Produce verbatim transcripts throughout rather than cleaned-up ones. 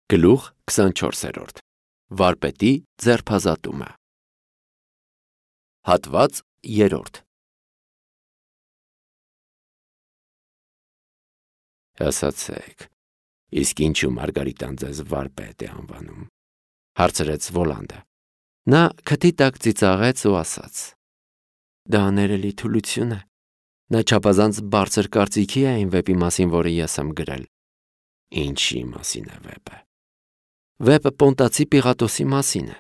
Գլուխ քսանչորսերորդ Վարպետի ձերբազատումը Հատված երրորդ Ասացեք, իսկ ինչու Մարգարիտան ձեզ վարպետ է անվանում, հարցրեց Վոլանդը։ Նա քթի տակ ծիծաղեց ու ասաց. Դա ներելի թուլություն է։ Նա չափազանց բարձր կարծիքի է այն վեպի մասին, որը ես եմ գրել։ Ինչի մասին է վեպը։ Վեպը Պոնտացի Պիղատոսի մասին է։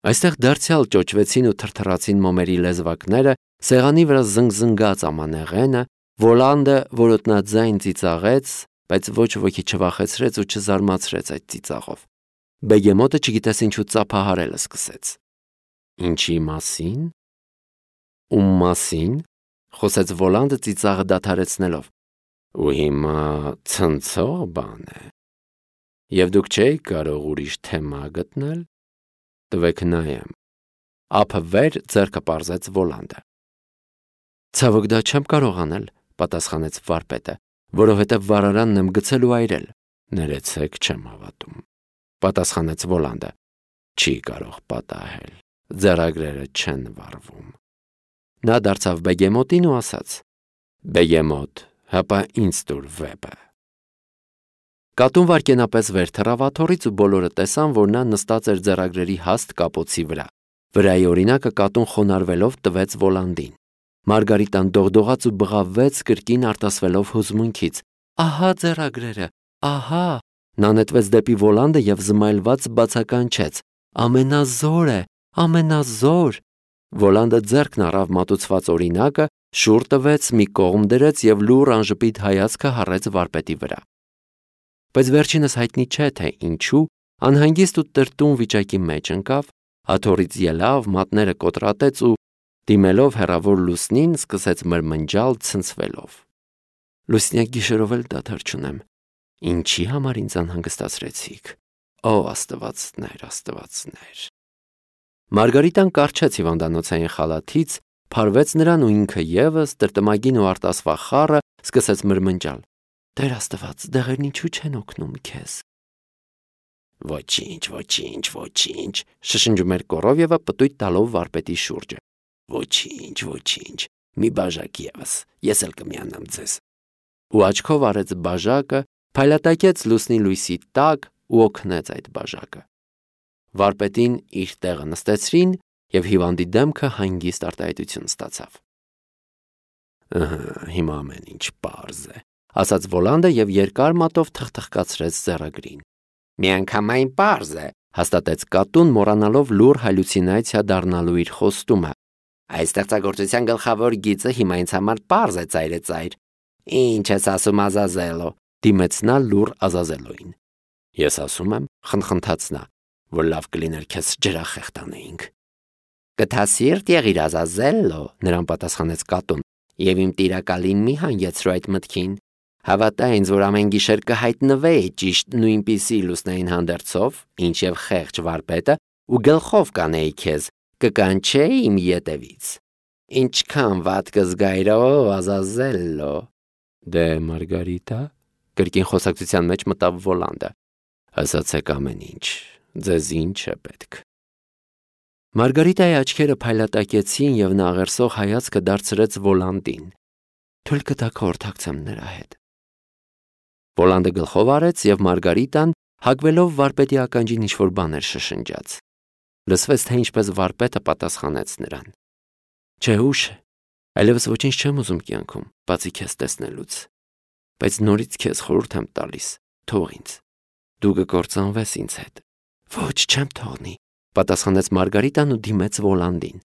Այստեղ դարձյալ ճոճվեցին ու թրթռացին մոմերի լեզվակները, սեղանի վրա զնգզնգաց ամանեղենը, Վոլանդը որոտնաձայն ծիծաղեց, բայց ոչ ոքի չվախեցրեց ու չզարմացրեց այդ ծիծաղով։ Բեգեմոտը չգիտես ինչու ծափահարել սկսեց։ Ինչի մասին։ Ում մասին, խոսեց Վոլանդը ծիծաղը դադարեցնելով։ Ու հիմա ցնցող բան է։ Եվ դուք չէիք կարող ուրիշ թեմա գտնել։ Տվեք նայեմ։ Ափը վեր ձեռքը պարզեց Վոլանդը։ Ցավոք դա չեմ կարող անել, պատասխանեց վարպետը, որովհետև վարարանն եմ գցել ու այրել։ Ներեցեք, չեմ հավատում, պատասխանեց Վոլանդը։ Չի կարող պատահել։ Ձեռագրերը չեն վառվում։ Նա դարձավ Բեգեմոտին ու ասաց. Բեգեմոտ, հապա ինձ տուր վեպը։ Կատուն վայրկենապես վեր թռավ աթոռից ու բոլորը տեսան, որ նա նստած էր ձեռագրերի հաստ կապոցի վրա։ Վրայի օրինակը կատուն խոնարհվելով տվեց Վոլանդին։ Մարգարիտան դողդողաց ու բղավվեց կրկին արտասվելով հուզմունքից։ Ահա ձեռագրերը, ահա։ Նա նետվեց դեպի Վոլանդը և զմայլված բացականչեց. Ամենազոր է, ամենազոր։ Վոլանդը ձեռքն առավ մատուցված օրինակը, շուռ տվեց, մի կողմ դրեց և լուռ անժպիտ հայացքը հառեց վարպետի վրա։ Բայց վերջինս հայտնի չէ, թե ինչու, անհանգիստ ու տրտուն վիճակի մեջ ընկավ, աթոռից ելավ, մատները կոտրատեց ու, դիմելով հեռավոր լուսնին, սկսեց մրմնջալ ցնցվելով։ Լուսնյակ գիշերով էլ դադար չունեմ։ Ինչի համար ինձ անհանգստացրեցիք։ Ո աստվածներ, աստվածներ։ Մարգարիտան կառչեց հիվանդանոցային խալաթից, փարվեց նրան ու ինքը ևս, տրտմագին ու արտասվա խառը, սկսեց մրմնջալ. Տեր Աստված, դեղերն ինչու չեն օգնում քեզ։ Ոչինչ, ոչինչ, ոչինչ, շշնջում էր Կորովյևը պտույտ տալով վարպետի շուրջը։ Ոչինչ, ոչինչ, մի բաժակ ևս, ես էլ կմիանամ ձեզ։ Ու աչքով արեց բաժակը, փայլատակեց լուսնի լույսի տակ ու օգնեց այդ բաժակը։ Վարպետին իր տեղը նստեցրին և հիվանդի դեմքը հանգիստ արտահայտություն ստացավ։ Ըհը, հիմա ամեն ինչ պարզ է, ասաց Վոլանդը և երկար մատով թխթխկացրեց ձեռագրին։ Միանգամայն պարզ է, հաստատեց կատուն, մոռանալով լուռ հալյուցինացիա դառնալու իր խոստումը։ Այս ստեղծագործության գլխավոր գիծը հիմա ինձ համար պարզ է ծայրեծայր։ Ինչ ես ասում Ազազելո, դիմեց նա լուռ Ազազելոին։ Ես ասում եմ, խնդխնդաց նա, որ լավ կլիներ քեզ ջրախեղ տանեինք։ Գթասիրտ եղիր Ազազելո, նրան պատասխանեց կատուն, և իմ տիրակալին մի հանգեցրու այդ մտքին։ Հավատա ինձ, որ ամեն գիշեր կհայտնվեի ճիշտ նույնպիսի լուսնային հանդերձով, ինչև խեղճ վարպետը, ու գլխով կանեի քեզ, կկանչեի իմ ետևից։ Ինչքան վատ կզգայիր, ո Ազազելո։ Դե Մարգարիտա, կրկին խոսակցության մեջ մտավ Վոլանդը։ Ասացեք ամեն ինչ, ձեզ ինչ է պետք։ Մարգարիտայի աչքերը փայլատակեցին և նա աղերսող հայացքը դարձրեց Վոլանդին։ Թույլ կտաք խորհրդակցեմ նրա հետ։ Վոլանդը գլխով արեց և Մարգարիտան, հագվելով վարպետի ականջին ինչ-որ բան էր շշնջաց։ Լսվեց, թե ինչպես վարպետը պատասխանեց նրան։ Չէ, ուշ է, այլևս ոչինչ չեմ ուզում կյանքում, բացի քեզ տեսնելուց։ Բայց նորից քեզ խորհուրդ եմ տալիս, թող ինձ։ Դու կկործանվես ինձ հետ։ Ոչ, չեմ թողնի, պատասխանեց Մարգարիտան ու դիմեց Վոլանդին։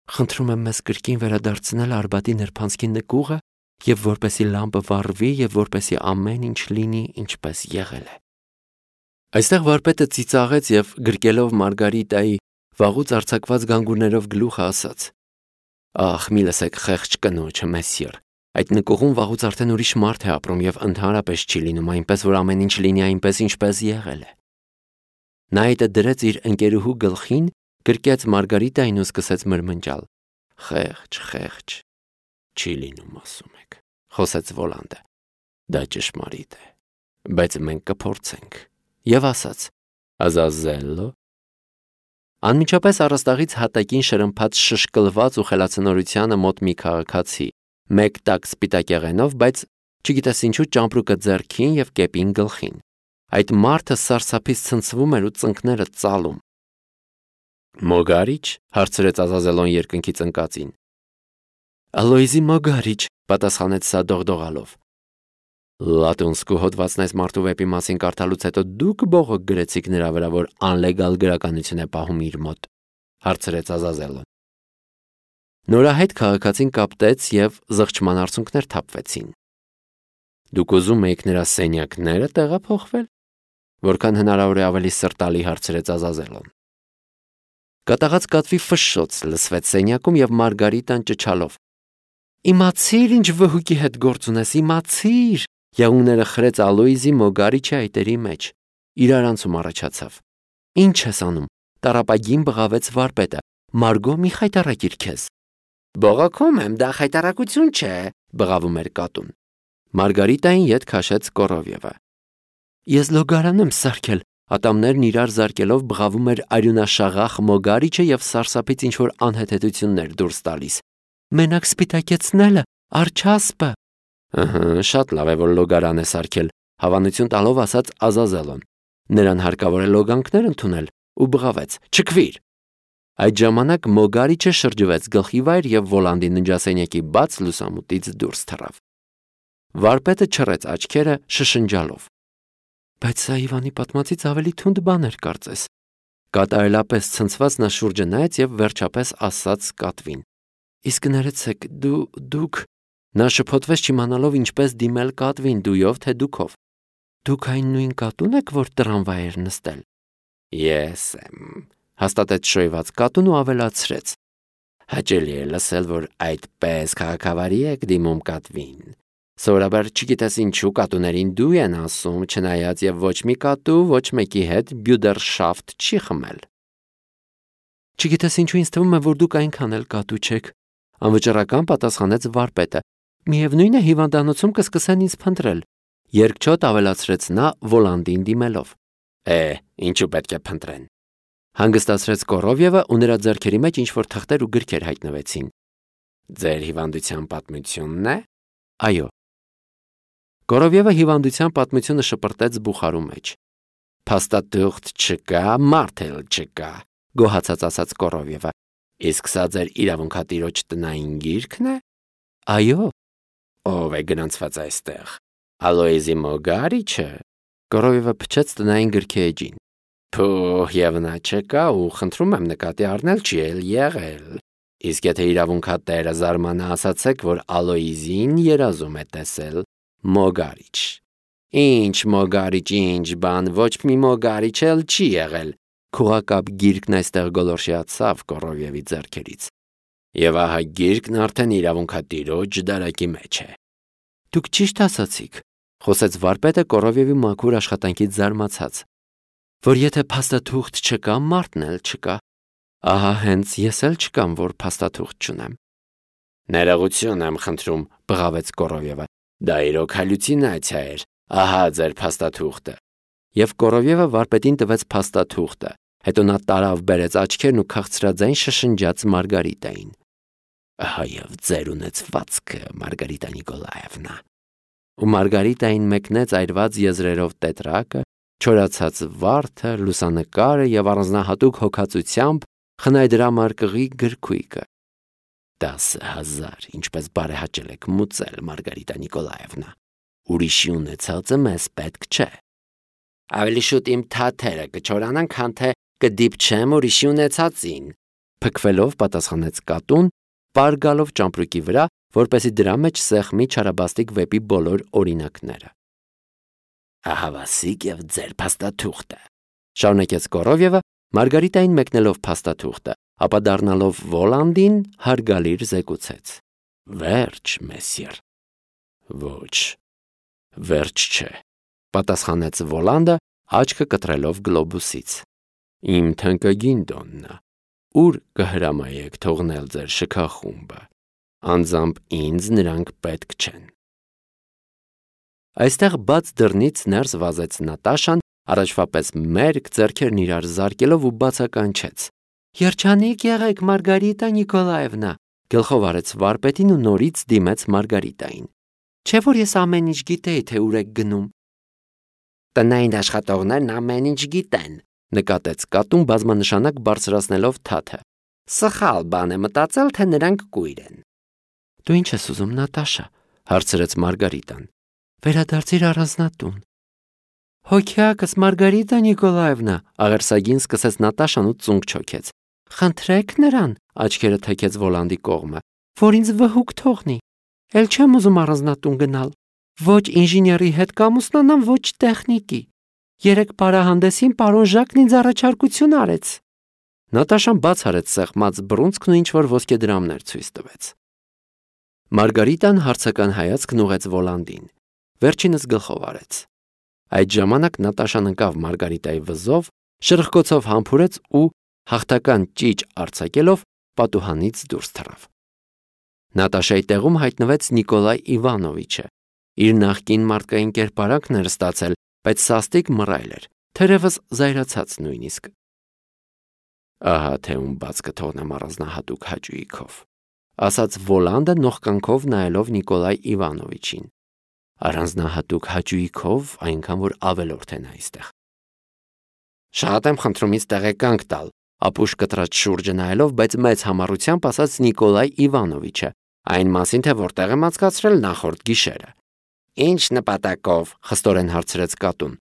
Խնդրում եմ մեզ կրկին վերադարձնել Արբատի նրբանցքի նկուղը և որպեսի լամպը վառվի և որպեսի ամեն ինչ լինի ինչպես եղել է։ Այստեղ վարպետը ծիծաղեց և գրկելով Մարգարիտայի վաղուց արձակված գանգուրներով գլուխը ասաց. Ախ, մի լսեք խեղճ կնոջը, մեսյեր, այդ նկուղում վաղուց արդեն ուրիշ մարդ է ապրում և ընդհանրապես չի լինում այնպես, որ ամեն ինչ լինի այնպես, ինչպես եղել է։ Նա այդը դրեց իր ընկերուհու գլխին, գրկեց Մարգարիտային ու սկսեց մրմնջալ. Խեղճ, խեղճ, չի լինում, ասում եք, խոսեց Վոլանդը։ Դա ճշմարիտ է, բայց մենք կփորձենք։ եւ ասաց. Ազազելո։ Անմիջապես առաստաղից հատակին շրմփաց շշկլված ու խելացնորությանը մոտ մի քաղաքացի, մեկ տակ սպիտակեղենով, բայց չգիտես ինչու ճամպրուկը ձեռքին եւ կեպին գլխին։ Այդ մարդը սարսափից ցնցվում էր ու ծնկները ծալում։ Մոգարիչ, հարցրեց Ազազելոն երկնքից ընկածին։ Ալոիզի Մոգարիչ, պատասխանեց սա դողդողալով։ Լատունսկու հոդվածն այս մարդու վեպի մասին կարդալուց հետո դուք բողոք գրեցիք նրա վրա, որ անլեգալ գրականություն է պահում իր մոտ, հարցրեց Ազազելոն։ Նորահայտ քաղաքացին կապտեց եւ զղջման արցունքներ թափվեցին։ Դուք ուզում եք նրա սենյակները տեղափոխվել, որքան հնարավոր է ավելի սրտալի հարցրեց Ազազելոն։ Կատաղած կատվի ֆշշոց լսվեց սենյակում եւ Մարգարիտան ճչալով. Իմացիր ինչ վհուկի հետ գործ ունես, իմացիր։ Եղունգները խրեց Ալոիզի Մոգարիչի այտերի մեջ։ Իրարանցում առաջացավ։ Ինչ ես անում։ Տարապագին բղավեց վարպետը։ Մարգո մի խայտարակիր քեզ։ Բողոքում եմ, դա խայտարակություն չէ, բղավում էր կատուն։ Մարգարիտային ետ քաշեց Կորովյևը։ Ես լոգարան եմ սարքել, ատամներն իրար զարկելով բղավում էր արյունաշաղախ Մոգարիչը եւ սարսափից ինչ որ անհեթեթություններ դուրս տալիս։ Մենակ սպիտակեցնելը, արչասպը։ Ըհը, շատ լավ է, որ լոգարան է սարքել, հավանություն տալով ասաց Ազազելոն։ Նրան հարկավոր է լոգանքներ ընդունել ու բղավեց. Չքվիր։ Այդ ժամանակ Մոգարիչը շրջվեց գլխիվայր եւ Վոլանդի ննջասենյակի բաց լուսամուտից դուրս թռավ։ Վարպետը չռեց աչքերը շշնջալով. Բայց սա Իվանի պատմածից ավելի թունդ բան էր կարծես։ Կատարելապես ցնցված նա շուրջը նայեց եւ վերջապես ասաց կատվին. Իսկ ներեցեք, դու դուք Նա շփոթվեց չիմանալով ինչպես դիմել կատվին, դույով թե դուքով։ Դուք այն նույն կատուն եք, որ տրամվայ էր նստել։ Ես եմ, հաստատեց շոյված կատուն ու ավելացրեց. Հաճելի է լսել, որ այդպես քաղաքավարի եք դիմում կատվին։ Սովորաբար չգիտես ինչու կատուներին դու են ասում, չնայած եւ ոչ մի կատու ոչ մեկի հետ բյուդերշաֆտ չի խմել։ Չգիտես ինչու ինձ թվում է, որ դուք այնքան էլ կատու չեք, անվճռական պատասխանեց վարպետը։ Միևնույն է հիվանդանոցում կսկսեն ինձ փնտրել։ Երկչոտ ավելացրեց նա Վոլանդին դիմելով։ Է, ինչու պետք է փնտրեն։ Հանգստացրեց Կորովյևը ու նրա ձեռքերի մեջ ինչ որ թղթեր ու գրքեր հայտնվեցին։ Ձեր հիվանդության պատմությունն է։ Այո։ Կորովյևը հիվանդության պատմությունը շպրտեց բուխարու մեջ։ Փաստաթուղթ չկա, մարդ էլ չկա, գոհացած ասաց Կորովյևը։ Իսկ սա ձեր իրավունքատիրոջ տնային գիրքն է։ Այո։ Ով է գնացված այստեղ։ Ալոիզի Մոգարիչը։ Կորովյևը փչեց տնային գրքի էջին։ Փոհ, եւ նա չկա ու խնդրում եմ նկատի առնել չի էլ եղել։ Իսկ եթե իրավունքատերը զարմանա, ասացեք, որ Ալոիզին երազում է տեսել Մոգարիչ։ Ինչ Մոգարիչ, ինչ բան, ոչ մի Մոգարիչ էլ չի եղել։ Քուղակապ գիրքն այստեղ գոլորշիացավ Կորովյևի ձեռքերից։ Եվ ահա գիրքն արդեն իրավունքատիրոջ դարակի մեջ է։ Դուք ճիշտ ասացիք, խոսեց վարպետը Կորովյևի մաքուր աշխատանքից զարմացած, որ եթե փաստաթուղթ չկա, մարդն էլ չկա։ Ահա հենց ես էլ չկամ, որ փաստաթուղթ չունեմ։ Ներողություն եմ խնդրում, բղավեց Կորովյևը։ Դա իրոք հալյուցինացիա էր։ Ահա ձեր փաստաթուղթը։ Եվ Կորովյևը վարպետին տվեց փաստաթուղթը։ Հետո նա տարավ բերեց աչքերն ու քաղցրաձայն շշնջաց Մարգարիտային։ Ահա եւ ձեր ունեցվածքը, Մարգարիտա Նիկոլաևնա։ Ու Մարգարիտային մեկնեց այրված եզրերով տետրակը, չորացած վարդը, լուսանկարը եւ առանձնահատուկ հոգացությամբ խնայդրամարկղի գրքույկը։ Տասը հազար, ինչպես բարեհաճել եք մուծել, Մարգարիտա Նիկոլաևնա։ Ուրիշի ունեցածը մեզ պետք չէ։ Ավելի շուտ իմ թաթերը կչորանան, քան թե կդիպչեմ ուրիշի ունեցածին, փքվելով պատասխանեց կատուն, պարգալով ճամպրուկի վրա, որպեսզի դրա մեջ սեղմի Չարաբաստիկ վեպի բոլոր օրինակները։ Ահա վասիկ եւ ձեր փաստաթուղթը, շարունակեց Կորովյևը, Մարգարիտային մեկնելով փաստաթուղթը, ապա դառնալով Վոլանդին հարգալիր զեկուցեց. Վերջ, մեսիեր։ Ոչ, վերջ չէ, պատասխանեց Վոլանդը, աչքը կտրելով գլոբուսից։ Իմ թանկագին Դոննա, ուր կհրամայեք թողնել ձեր շքախումբը։ Անձամբ ինձ նրանք պետք չեն։ Այստեղ բաց դռնից ներս վազեց Նատաշան առաջվա պես մերկ ձեռքերն իրար զարկելով ու բացականչեց. «Երջանիկ եղեք, Մարգարիտա Նիկոլաևնա», գլխով արեց վարպետին ու նորից դիմեց Մարգարիտային։ Չէ՞ որ ես ամեն ինչ գիտեի, թե ուր եք գնում։ Տնային աշխատողներն ամեն ինչ գիտեն, նկատեց կատուն բազմանշանակ բարձրացնելով թաթը։ Սխալ բան է մտածել, թե նրանք կույր են։ Դու ինչ ես ուզում, Նատաշա, հարցրեց Մարգարիտան։ Վերադարձիր առանձնատուն։ Հոգյակս Մարգարիտա Նիկոլաևնա, աղերսագին սկսեց Նատաշան ու ծունկ չոքեց։ Խնդրեք նրան, աչքերը թեքեց Վոլանդի կողմը, որ ինձ վհուկ թողնի։ Էլ չեմ ուզում առանձնատուն գնալ։ Ոչ ինժեների հետ կամուսնանամ, ոչ տեխնիկի։ Երեք պարահանդեսին պարոն Ժակն ինձ առաջարկություն արեց։ Նատաշան բաց արեց սեղմած բռունցքն ու ինչ-որ ոսկեդրամներ ցույց տվեց։ Մարգարիտան հարցական հայացքն ուղղեց Վոլանդին, վերջինս գլխով արեց։ Այդ ժամանակ Նատաշան ընկավ Մարգարիտայի վզով, շրխկոցով համբուրեց ու հաղթական ճիճ արձակելով պատուհանից դուրս թռավ։ Նատաշայի տեղում հայտնվեց Նիկոլայ Իվանովիչը։ Իր նախկին մարդկային կերպարանքն էր ստացել, բայց սաստիկ մռայլ էր, թերևս զայրացած նույնիսկ։ Ահա թե ում բաց կթողնեմ առանձնահատուկ հաճույքով, ասաց Վոլանդը նողկանքով նայելով Նիկոլայ Իվանովիչին։ Առանձնահատուկ հաճույքով, այնքան որ ավելորդ են այստեղ։ Շատ եմ խնդրում ինձ տեղեկանք տալ, ապուշ կտրած շուրջը նայելով, բայց մեծ համառությամբ ասաց Նիկոլայ Իվանովիչը, այն մասին, թե որտեղ եմ անցկացրել նախորդ գիշերը։ Ինչ նպատակով, խստորեն հարցրեց կատուն։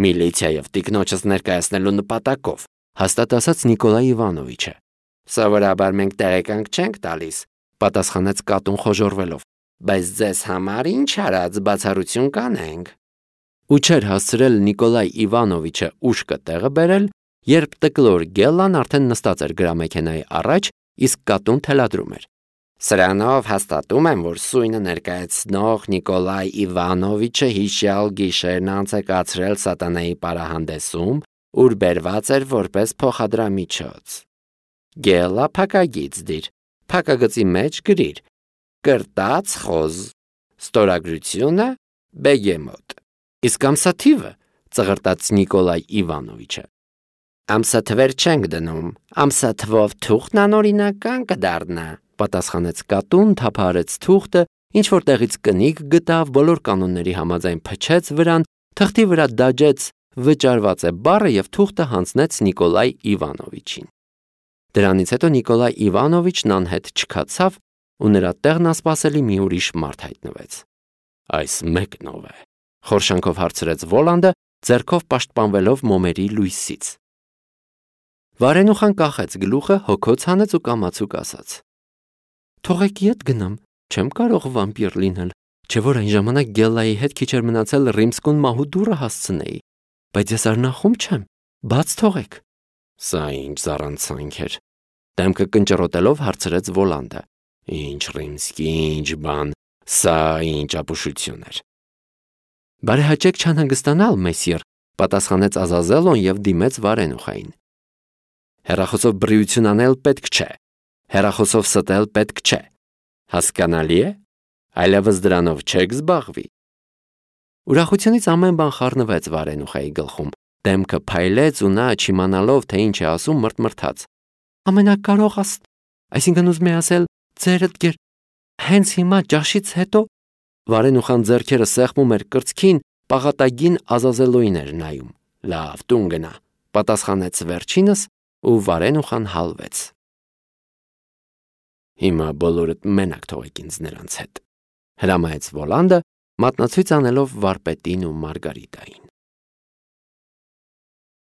Միլիցիայով տիկնոջս ներկայացնելու նպատակով, հաստատ ասաց Նիկոլայ Իվանովիչը։ Սովորաբար մենք տեղեկանք չենք տալիս, պատասխանեց կատուն խոժոռվելով, բայց ձեզ համար ինչ արած բացառություն կանենք։ Ու չէր հասցրել Նիկոլայ Իվանովիչը ուշքը տեղը բերել, երբ տկլոր Գելլան արդեն նստած էր գրամեքենայի առաջ, իսկ կատուն թելադրում էր։ Սրանով հաստատում եմ, որ սույնը ներկայացնող Նիկոլայ Իվանովիչը հիշյալ գիշերն անցկացրել սատանայի պարահանդեսում, ուր բերված էր որպես փոխադրամիջոց։ Գելլա փակագիծ դիր, փակագծի մեջ գրիր. կրտած խոզ, ստորագրությունը Բեգեմոտ։ Իսկ ամսաթիվը, ծղրտաց Նիկոլայ Իվանովիչը։ Ամսաթվեր չենք դնում, ամսաթվով թուղթն անօրինական կդառնա, պատասխանեց կատուն, թափահարեց թուղթը, ինչ որ տեղից կնիկ գտավ, բոլոր կանոնների համաձայն փչեց վրան, թղթի վրա դաջեց վճարված է բառը եւ թուղթը հանձնեց Նիկոլայ Իվանովիչին։ Դրանից հետո Նիկոլայ Իվանովիչն անհետ չքացավ ու նրա տեղն ասպասելի մի ուրիշ մարդ հայտնվեց։ Այս մեկնով է, խորշանքով հարցրեց Վոլանդը, ձեռքով պաշտպանվելով մոմերի լույսից։ Վարենուխան կախեց գլուխը, հոգոց հանեց ու կամացուկ ասաց. Թողեք ետ գնամ, չեմ կարող վամպիր լինել, չէ որ այն ժամանակ Գելլայի հետ քիչ էր մնացել Ռիմսկուն մահու դուռը հասցնեի, բայց ես արնախում չեմ, բաց թողեք։ Սա ինչ զառանցանք էր, դեմքը կնճռոտելով հարցրեց Վոլանդը։ Ինչ Ռիմսկի, ինչ բան, սա ինչ ապուշություն էր։ Բարեհաճեք չանհանգստանալ, մեսիեր, պատասխանեց Ազազելոն եւ դիմեց Վարենուխային։ Հեռախոսով բռիություն անել պետք չէ, հեռախոսով ստել պետք չէ։ Հասկանալի է։ Այլևս դրանով չեք զբաղվի։ Ուրախությունից ամեն բան խառնվեց Վարենուխայի գլխում, դեմքը փայլեց ու նա չիմանալով, թե ինչ է ասում, մրթմրթաց։ Ամենակարող Աստ, այսինքն ուզում է ասել, ձերդ գեր, հենց հիմա ճաշից հետո Վարենուխան ձեռքերը սեղմում էր կրծքին, պաղատագին Ազազելոին էր նայում։ Լավ, տուն գնա, պատասխանեց վերջինս ու Վարենուխան հալվեց։ Հիմա բոլորդ մենակ թողեք ինձ նրանց հետ, հրամայեց Վոլանդը, մատնացույց անելով վարպետին ու Մարգարիտային։